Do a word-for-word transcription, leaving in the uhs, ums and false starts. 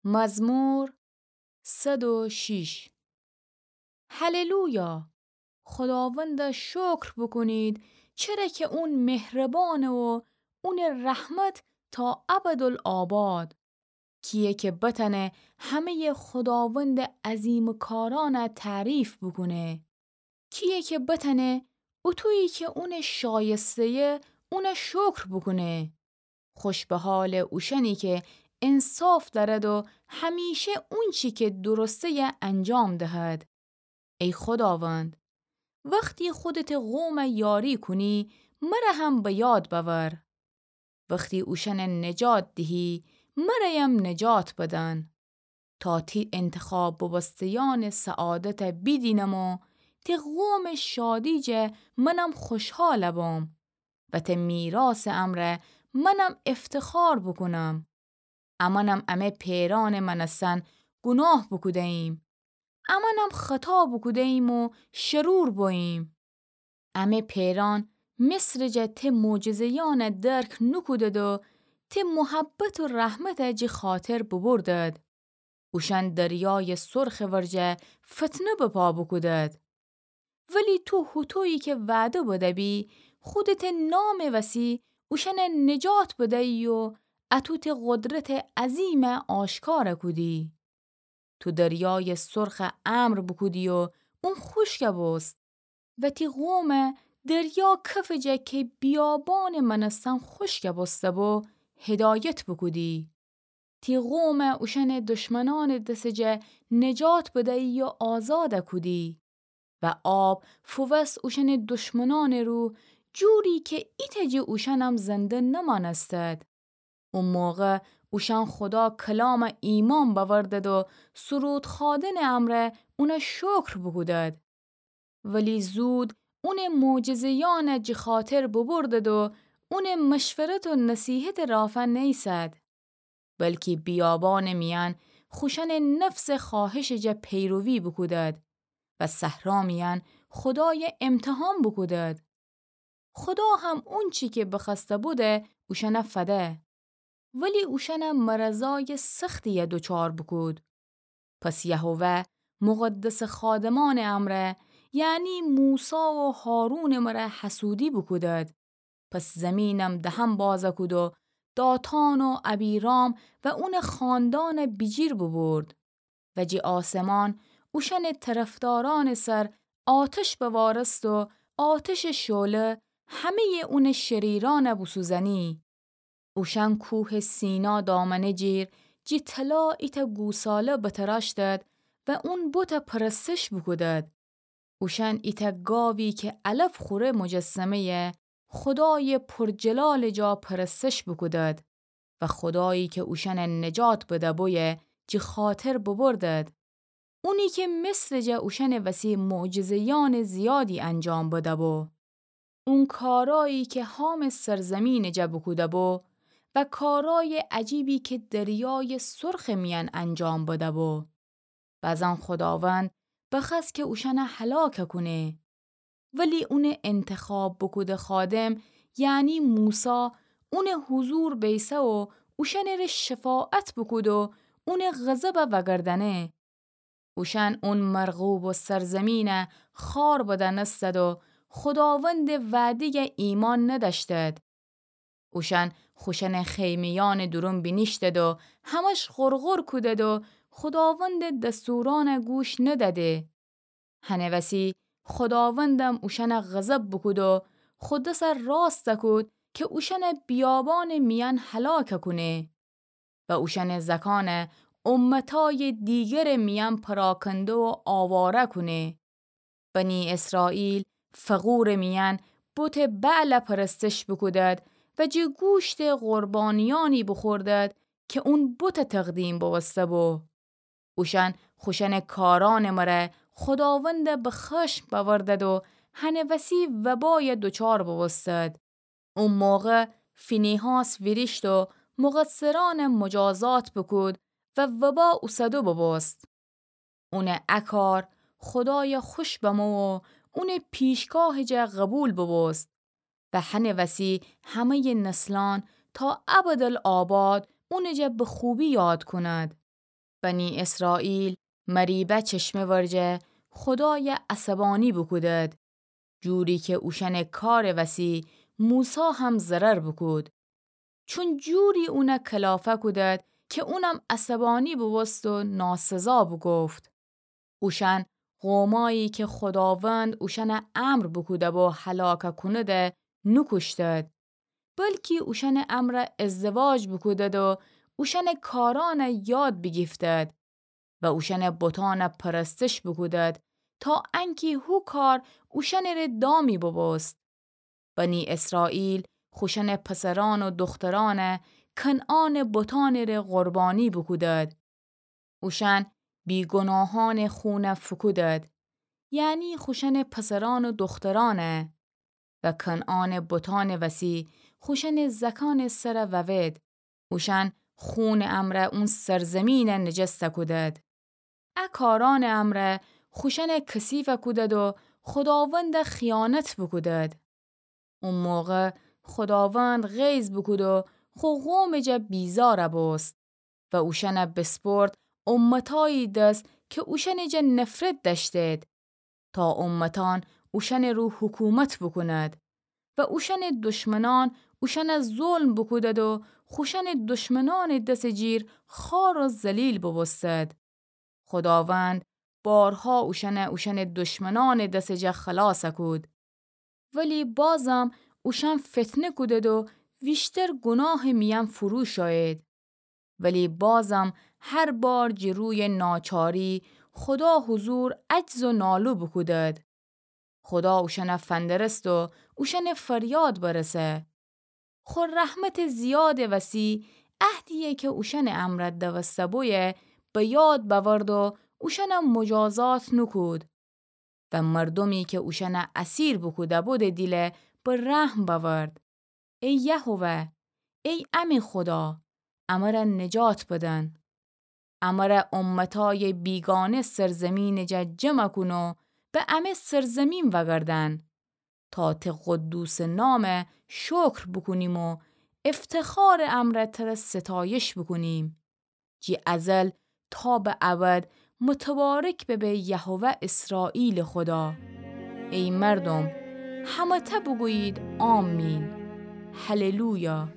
مزمور صد و شش. هللویا! خداوند شکر بوکونید، چره کی اون مهربانه و اون رحمت تا ابدالآباد. کیه کی بتانه همه‌ی خداوند عظیم کارانه تعریف بوکونه؟ کیه کی بتانه اوطویی کی اون شایسته‌یه اون شکر بوکونه؟ خوش به حال اوشانی کی انصاف دأرد و همیشه اونچی کی درسته‌یه انجام دهد. ای خداوند، وختی خودته قوم یاری کونی، مره هم به یاد بأور. وختی اوشأن نجات دهی، مره‌یم نجات بدن. تا تی انتخاب بوبوسته‌یأن سعادت بیدینم و تی قوم شادی جه منم خوشحال بوم و تی میراث امرأ منم افتخار بوکونم. امأنم امه پئرأن مأنستن گوناه بوکوده‌ییم. امأنم خطا بوکوده‌ییم و شرور بوییم. امه پئرأن مصر جه تی معجزه‌یأن درک نوکودد و تی محبت و رحمت جی خاطر ببردد. اوشأن دریای سرخ ورجه فتنه بپا بوکودد. ولی تو هوطویی کی وعده بده‌بی، خودته نام وسی اوشأن نجات بده‌یی و اطو تی قدرت عظیم آشکار کودی. تو دریای سرخ امر بوکودی و اون خوشک بوست و تی قوم دریا کف جه کی بیابان مأنستن خوشک بوسته بو، هدایت بوکودی. تی قوم اوشأن دشمنأن دس جه نجات بده‌یی و آزاد کودی. و آب فووست اوشأن دشمنأن رو، جوری کی ایتأ جه اوشأنم زنده نمأنستد. او موقع اوشأن خدا کلام ایمأن بأوردد و سرود خوأدن امرأ اون شکر بوکودد. ولی زود اون معجزه‌یأن جی خاطر ببردد و اون مشورت و نصیحت رافا نیسد. بلکی بیابان میأن خوشأن نفس خواهش جه پیروی بوکودد و صحرا میأن خدای امتحان بوکودد. خدا هم اونچی کی بخوأسته بوده اوشأن فده. ولی اوشأن مرضای سختیی دوچار بوکود. پس یهوه مقدس خادمأن امرأ، یعنی موسی و هارون مره حسودی بوکودد. پس زمینم دهم باز کود و داتان و ابیرام و اون خاندان بیجیر ببرد. و جی آسمان اوشأن طرفدارأن سر آتش بوارست و آتش شعله همه‌ی اون شریرأن بوسوزأنی. اوشأن کوه سینا دامنه جیر جی طلا ایتأ گوساله بتراشتد و اون بت پرستش بوکودد. اوشأن ایتأ گاوی کی علف خوره مجسمه‌ی خدای پرجلال جا پرستش بوکودد و خدایی کی اوشأن نجات بده‌بویه جی خاطر ببردد. اونی کی مصر جه اوشأن وسی معجزه‌یأن زیادی انجام بده‌بو. اون کارایی کی هام سرزمین جه بوکوده‌بو و کارای عجیبی کی دریای سرخ میأن انجام بده‌بو. بزن خداوند بخوأست کی اوشأن هلاک کونه. ولی اون انتخاب بوکوده خادم، یعنی موسی، اون حضور بیسه و اوشأن ره شفاعت بوکود و اون غضب وأگردأنه. اوشأن اون مرغوب سرزمین خوار بدأنستد و خداوند وعده‌ی ایمأن ندأشتد. اوشأن خوشأن خیمه‌یأن دورون بینیشتد و همش غرغر کودد و خداوند دستورأن گوش ندأده. هنه وسی خداوندم اوشأن غضب بوکود و خو دس راست کود کی اوشأن بیابان میأن هلاک کونه و اوشأن زکان امتای دیگر میأن پراکنده و آواره کونه. بنی اسرائیل فغور میأن بت بعل پرستش بوکودد و جی گوشت قربانیأنی بوخوردد کی اون بت تقدیم بوسته‌بو. اوشأن خوشأن کارأن مره خداوند به خشم بأوردد و هنه وسی وبای دوچار بوبوستد. او موقع فینیحاس ویریشت و مقصرأن مجازات بوکود و وبا اوسدو بوبوست. اون ا کار خدای خوش بمو و اون پیشگاه جه قبول بوبوست و هنه وسی همه‌ی نسلأن تا ابدالآباد اون جه به خوبی یاد کند. بنی اسرائیل مریبه چشمه ورجه خودایَ عصبانی بوکودد، جوری کی اوشأنٚ کارٚ وسی موسی هم ضرر بوکود. چون جوری اونَ کلافه کودد کی اونم عصبانی بوبوست و ناسزا بوگفت. اوشأن قومایی کی خوداوند اوشأنَ امر بوکوده‌بو هلاک کونده نوکوشتد، بلکی اوشأنٚ امرأ ازدواج بوکودد و اوشأنٚ کارأنَ یاد بیگیفتد و اوشأنٚ بتأنَ پرستش بوکودد، تا انکی هو کار اوشأنٚره دامی بوبوست. بنی اسرائیل خوشأنٚ پسرأن و دخترأنَ کنعانٚ بتأنٚره قربانی بوکودد. اوشأن بیگناهأنٚ خونَ فوکودد، یعنی خوشأنٚ پسرأن و دخترأنَ، و کنعانٚ بتأنٚ وسی خوشأنٚ زأکأنٚ سرَ ووید. اوشأن خونٚ امرأ اون سرزمینَ نجس کودد. ا کارأنٚ امرأ خوشأنَ کثیف کودد و خوداوندَ خیانت بوکودد. او موقع خوداوند غیظ بوکود و خو قومٚ جا بیزار بوست و اوشأنَ بسپرد امتأیی دس کی اوشأنٚ جا نفرت دأشتید، تا امتأن اوشأنٚ رو حکومت بوکوند و اوشأنٚ دشمنأن اوشأنَ ظلم بوکودد و خوشأنٚ دشمنأنٚ دسٚ جیر خوار و ذلیل بوبوستد. خوداوند بارها اوشأنَ اوشأنٚ دشمنأنٚ دسٚ جا خلاص کود. ولی بازم اوشأن فتنه کودد و ویشتر گوناهٚ میأن فرو شویید. ولی بازم هر بار جٚه رویٚ ناچاری خودا حضور عجز و نالو بوکودد. خودا اوشأنَ فندرست و اوشأنٚ فریاد برسه. خو رحمتٚ زیادٚ وسی عهدیی کی اوشأنٚ امرأ دوسته بویه به یاد بأورد و اوشأنَ مجازات نوکود. و مردومی کی اوشأنَ اسیر بوکوده‌بودٚ دیلَ به رحم بأورد. ای یهوه، ای امه خودا، امرَ نجات بدن. امرَ امتأیٚ بیگانه سرزمینٚ جا جمع کون و به امه سرزمین وأگردن، تا ته قدوسٚ نامَ شکر بوکونیم و افتخارٚ امرأ تره ستایش بوکونیم. جٚه ازل تا به ابد متبارک ببه یهوه اسرائیلٚ خودا. ای مردوم، همه‌تأ بوگویید آمین. هللویا.